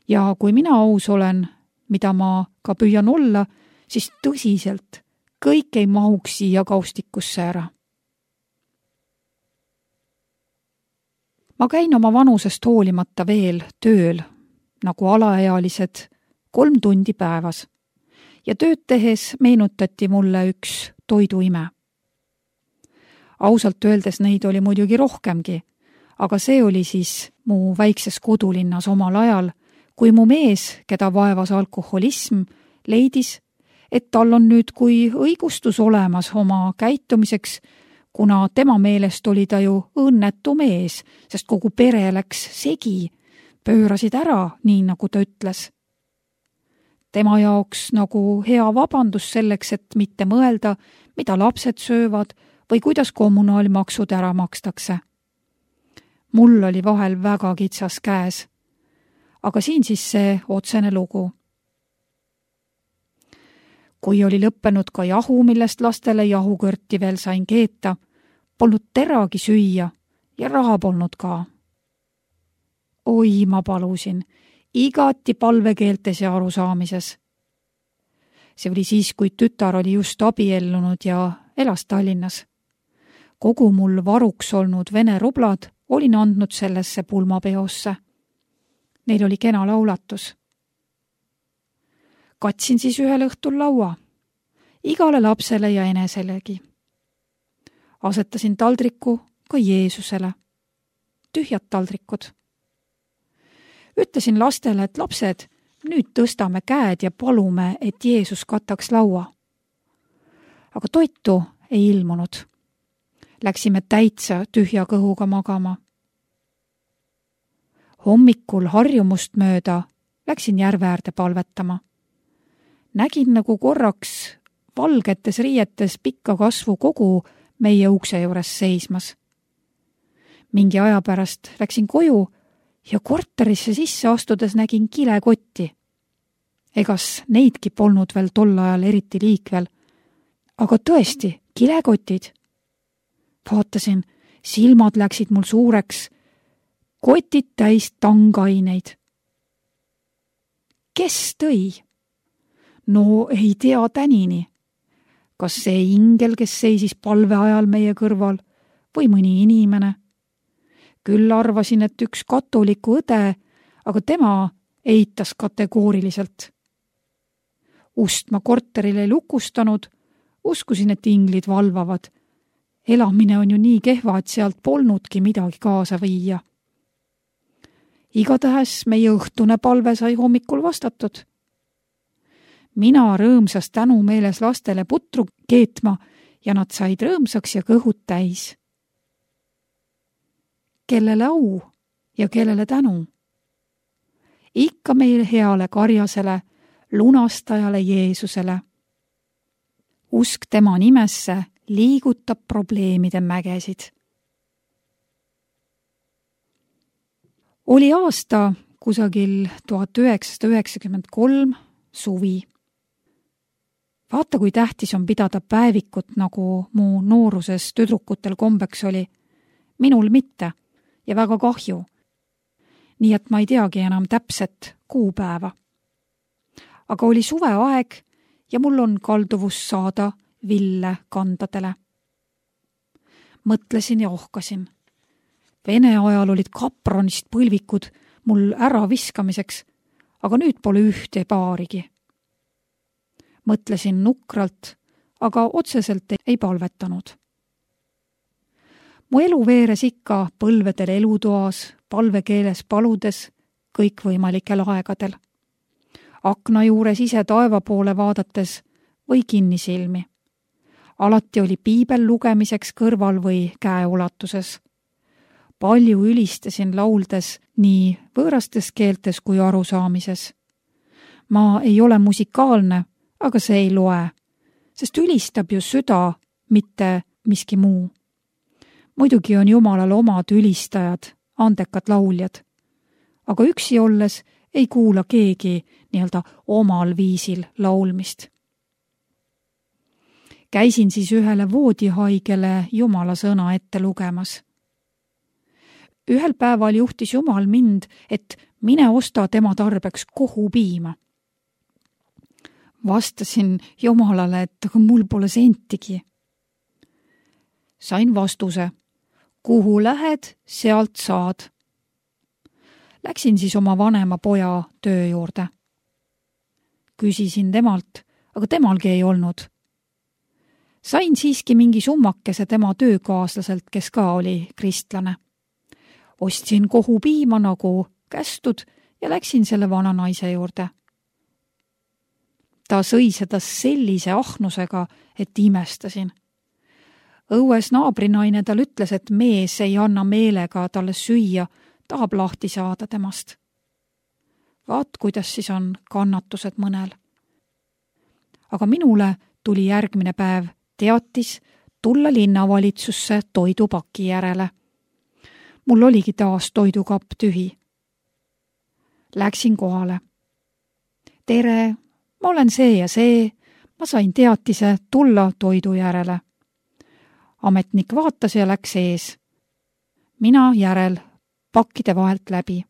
Ja kui mina aus olen, mida ma ka püüan olla, siis tõsiselt kõik ei mahuks siia kaustikusse ära. Ma käin oma vanusest hoolimata veel tööl, nagu alaealised 3 tundi päevas. Ja tööd tehes meenutati mulle üks toiduime. Ausalt öeldes neid oli muidugi rohkemgi, aga see oli siis mu väikses kodulinnas omal ajal, kui mu mees, keda vaevas alkoholism, leidis, et tal on nüüd kui õigustus olemas oma käitumiseks, kuna tema meelest oli ta ju õnnetu mees, sest kogu pere läks segi, pöörasid ära, nii nagu ta ütles. Tema jaoks nagu hea vabandus selleks, et mitte mõelda, mida lapsed söövad või kuidas kommunaalmaksud ära makstakse. Mul oli vahel väga kitsas käes. Aga siin siis see otsene lugu. Kui oli lõppenud ka jahu, millest lastele jahukõrti veel sain keeta, polnud teragi süüa ja raha polnud ka. Oi, ma palusin, igati palvekeeltes ja arusaamises. See oli siis, kui tütar oli just abiellunud ja elas Tallinnas. Kogu mul varuks olnud Vene rublad olin andnud sellesse pulmapeosse. Neil oli kena laulatus. Katsin siis ühel õhtul laua, igale lapsele ja eneselegi. Asetasin taldriku ka Jeesusele. Tühjad taldrikud. Ütlesin lastele, et lapsed, nüüd tõstame käed ja palume, et Jeesus kataks laua. Aga toitu ei ilmunud. Läksime täitsa tühja kõhuga magama. Hommikul harjumust mööda läksin järve äärde palvetama. Nägin nagu korraks valgetes riietes pikka kasvu kogu meie ukse juures seismas. Mingi aja pärast läksin koju ja korterisse sisse astudes nägin kilekotti. Egas neidki polnud veel tol ajal eriti liikvel, aga tõesti, kilekotid. Vaatasin, silmad läksid mul suureks, kotid täis tangaineid. Kes tõi? No ei tea tänini. Kas see ingel, kes seisis palve ajal meie kõrval või mõni inimene? Küll arvasin, et üks katoliku õde, aga tema eitas kategooriliselt. Ust ma korterile ei lukustanud, uskusin, et inglid valvavad. Elamine on ju nii kehva, et sealt polnudki midagi kaasa viia. Igatahes meie õhtune palve sai hommikul vastatud. Mina rõõmsas tänumeeles lastele putru keetma ja nad said rõõmsaks ja kõhud täis. Kellele au ja kellele tänu? Ikka meil heale karjasele, lunastajale Jeesusele. Usk tema nimesse liigutab probleemide mägesid. Oli aasta kusagil 1993 suvi. Vaata, kui tähtis on pidada päevikut, nagu mu nooruses tüdrukutel kombeks oli. Minul mitte ja väga kahju. Nii et ma ei teagi enam täpset kuupäeva. Aga oli suveaeg ja mul on kalduvus saada ville kandadele. Mõtlesin ja ohkasin. Vene ajal olid kapronist põlvikud mul ära viskamiseks, aga nüüd pole ühte paarigi. Mõtlesin nukralt, aga otseselt ei palvetanud. Mu elu veeres ikka põlvedel elutoas, palvekeeles paludes, kõikvõimalikel aegadel. Akna juures ise taeva poole vaadates või kinnisilmi. Alati oli piibel lugemiseks kõrval või käeulatuses. palju ülistasin lauldes nii võõrastes keeltes kui arusaamises. Ma ei ole musikaalne, aga see ei loe, sest ülistab ju süda, mitte miski muu. Muidugi on Jumalal omad ülistajad, andekad lauljad, aga üksi olles ei kuula keegi nii-öelda omal viisil laulmist. Käisin siis ühele voodihaigele Jumala sõna ette lugemas. Ühel päeval juhtis Jumal mind, et mine osta tema tarbeks kohupiima. Vastasin Jumalale, et aga mul pole sentigi. Sain vastuse, kuhu lähed, sealt saad. Läksin siis oma vanema poja töö juurde. Küsisin temalt, aga temalgi ei olnud. Sain siiski mingi summakese tema töökaaslaselt, kes ka oli kristlane. Ostsin kohupiima nagu kästud ja läksin selle vana naise juurde. Ta sõi seda sellise ahnusega, et imestasin. Õues naabrinaine tal ütles, et mees ei anna meelega talle süüa, tahab lahti saada temast. Vaat, kuidas siis on kannatused mõnel. Aga minule tuli järgmine päev teatis tulla linnavalitsusse toidupaki järele. Mul oligi taas toidukapp tühi. Läksin kohale. Tere, ma olen see ja see, ma sain teatise tulla toidu järele. Ametnik vaatas ja läks ees. Mina järel pakkide vahelt läbi.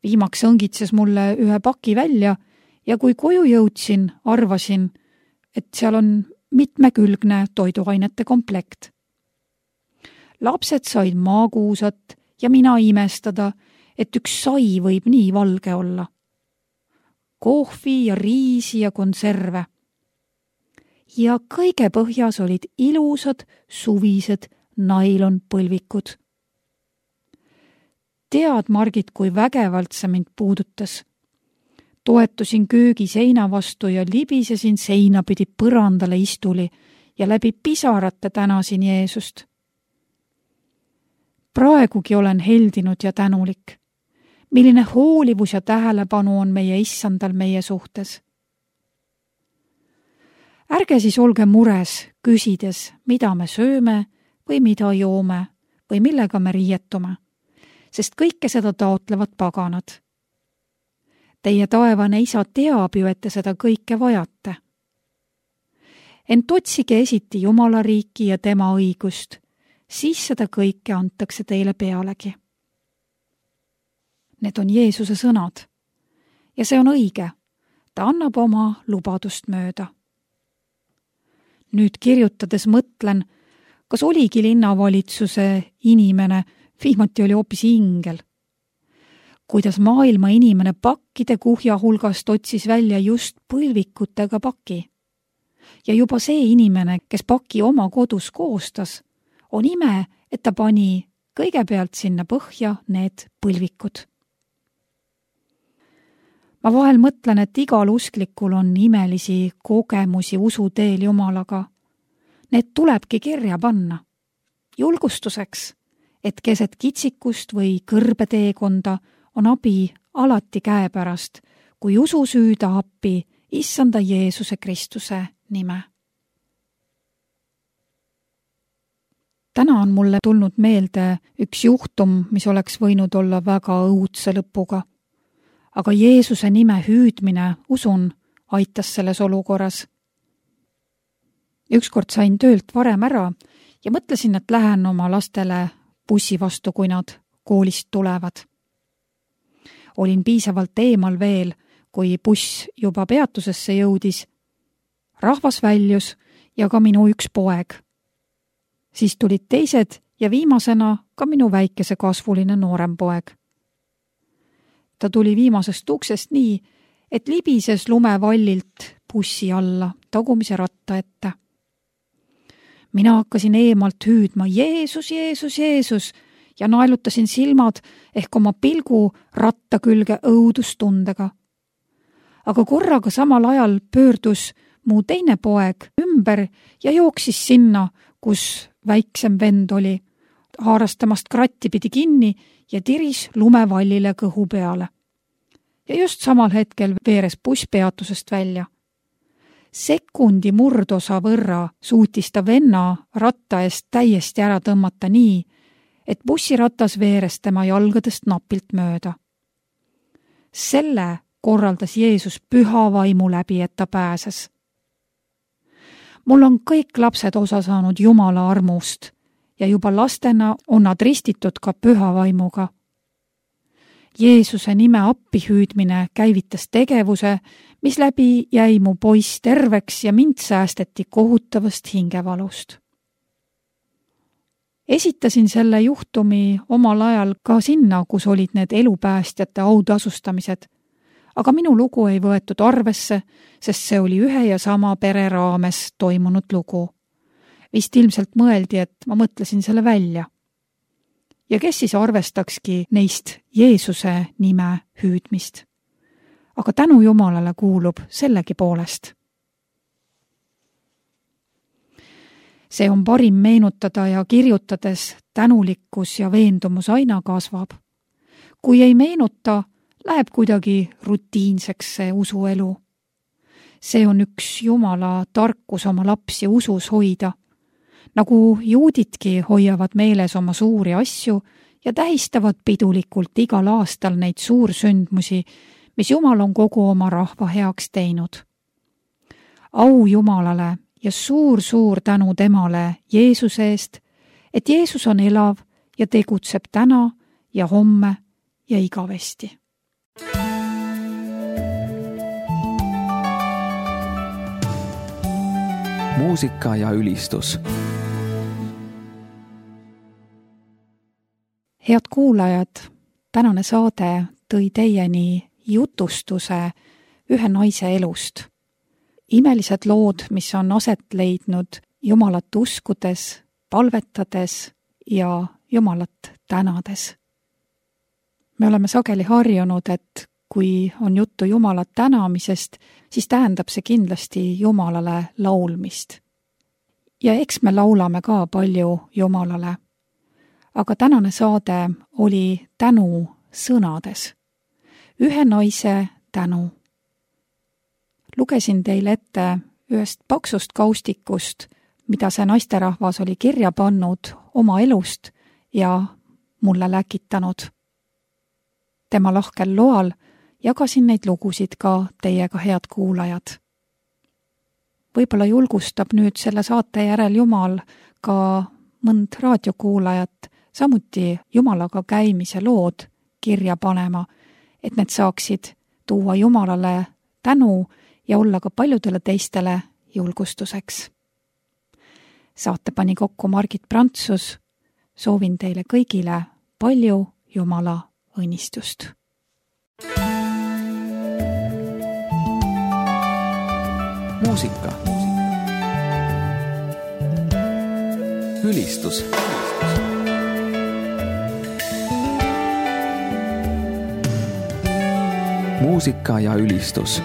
Viimaks õngitses mulle ühe paki välja ja kui koju jõudsin, arvasin, et seal on mitmekülgne toiduainete komplekt. Lapsed said maakuusat ja mina imestada, et üks sai võib nii valge olla. Kohvi ja riisi ja konserve. Ja kõige põhjas olid ilusad suvised nailonpõlvikud. Tead, Margit, kui vägevalt see mind puudutas. Toetusin köögi seina vastu ja libisesin seinapidi põrandale istuli ja läbi pisarate tänasin Jeesust. Praegugi olen heldinud ja tänulik. Milline hoolivus ja tähelepanu on meie issandal meie suhtes. Ärge siis olge mures, küsides, mida me sööme või mida joome või millega me riietume, sest kõike seda taotlevad paganad. Teie taevane isa teab ju, et te seda kõike vajate. Ent otsige esiti Jumala riiki ja tema õigust, siis seda kõike antakse teile pealegi. Need on Jeesuse sõnad. Ja see on õige. Ta annab oma lubadust mööda. Nüüd kirjutades mõtlen, kas oligi linnavalitsuse inimene, viimati oli hoopis ingel. Kuidas maailma inimene pakkide kuhja hulgast otsis välja just põlvikutega paki. Ja juba see inimene, kes paki oma kodus koostas, on ime, et ta pani kõigepealt sinna põhja need põlvikud. Ma vahel mõtlen, et igal usklikul on imelisi kogemusi usuteel Jumalaga. Need tulebki kirja panna. Julgustuseks, et keset kitsikust või kõrbeteekonda on abi alati käepärast, kui usu süüda appi issanda Jeesuse Kristuse nime. Täna on mulle tulnud meelde üks juhtum, mis oleks võinud olla väga õudse lõpuga. Aga Jeesuse nime hüüdmine, usun, aitas selles olukorras. Ükskord sain töölt varem ära ja mõtlesin, et lähen oma lastele bussi vastu, kui nad koolist tulevad. Olin piisavalt eemal veel, kui buss juba peatusesse jõudis. Rahvas väljus ja ka minu üks poeg. Siis tulid teised ja viimasena ka minu väikese kasvuline noorem poeg. Ta tuli viimasest uksest nii, et libises lumevallilt bussi alla tagumise ratta ette. Mina hakkasin eemalt hüüdma Jeesus, Jeesus, Jeesus ja naelutasin silmad ehk oma pilgu ratta külge õudustundega. Aga korraga samal ajal pöördus mu teine poeg ümber ja jooksis sinna, kus väiksem vend oli, haaras temast kratti pidi kinni ja tiris lumevallile kõhu peale. Ja just samal hetkel veeres buss peatusest välja. Sekundi murdosa võrra suutis ta venna ratta eest täiesti ära tõmmata nii, et bussiratas veeres tema jalgadest napilt mööda. Selle korraldas Jeesus püha vaimu läbi, et ta pääses. Mul on kõik lapsed osa saanud Jumala armust ja juba lastena on nad ristitud ka püha vaimuga. Jeesuse nime appihüüdmine käivitas tegevuse, mis läbi jäi mu poiss terveks ja mind säästeti kohutavast hingevalust. Esitasin selle juhtumi omal ajal ka sinna, kus olid need elupäästjate autasustamised, aga minu lugu ei võetud arvesse, sest see oli ühe ja sama pere raames toimunud lugu. Vist ilmselt mõeldi, et ma mõtlesin selle välja. Ja kes siis arvestakski neist Jeesuse nime hüüdmist? Aga tänu Jumalale kuulub sellegi poolest. See on parim meenutada ja kirjutades tänulikkus ja veendumus aina kasvab. Kui ei meenuta, läheb kuidagi rutiinseks see usuelu. See on üks Jumala tarkus oma lapsi usus hoida, nagu juudidki hoiavad meeles oma suuri asju ja tähistavad pidulikult igal aastal neid suursündmusi, mis Jumal on kogu oma rahva heaks teinud. Au Jumalale ja suur tänu temale Jeesuse eest, et Jeesus on elav ja tegutseb täna ja homme ja igavesti. Muusika ja ülistus. Head kuulajad, tänane saade tõi teieni jutustuse ühe naise elust. Imelised lood, mis on aset leidnud Jumalat uskudes, palvetades ja Jumalat tänades. Me oleme sageli harjunud, et kui on juttu Jumalat tänamisest, siis tähendab see kindlasti Jumalale laulmist. Ja eks me laulame ka palju Jumalale. Aga tänane saade oli tänu sõnades. Ühe naise tänu. Lugesin teile ette ühest paksust kaustikust, mida see naisterahvas oli kirja pannud oma elust ja mulle läkitanud. Tema lahkel loal jagasin neid lugusid ka teiega, head kuulajad. Võib-olla julgustab nüüd selle saate järel Jumal ka mõnd raadiokuulajat samuti Jumalaga käimise lood kirja panema, et need saaksid tuua Jumalale tänu ja olla ka paljudele teistele julgustuseks. Saate pani kokku Margit Prantsus. Soovin teile kõigile palju Jumala õnnistust. Muusika. Ülistus. Muusika ja ülistus.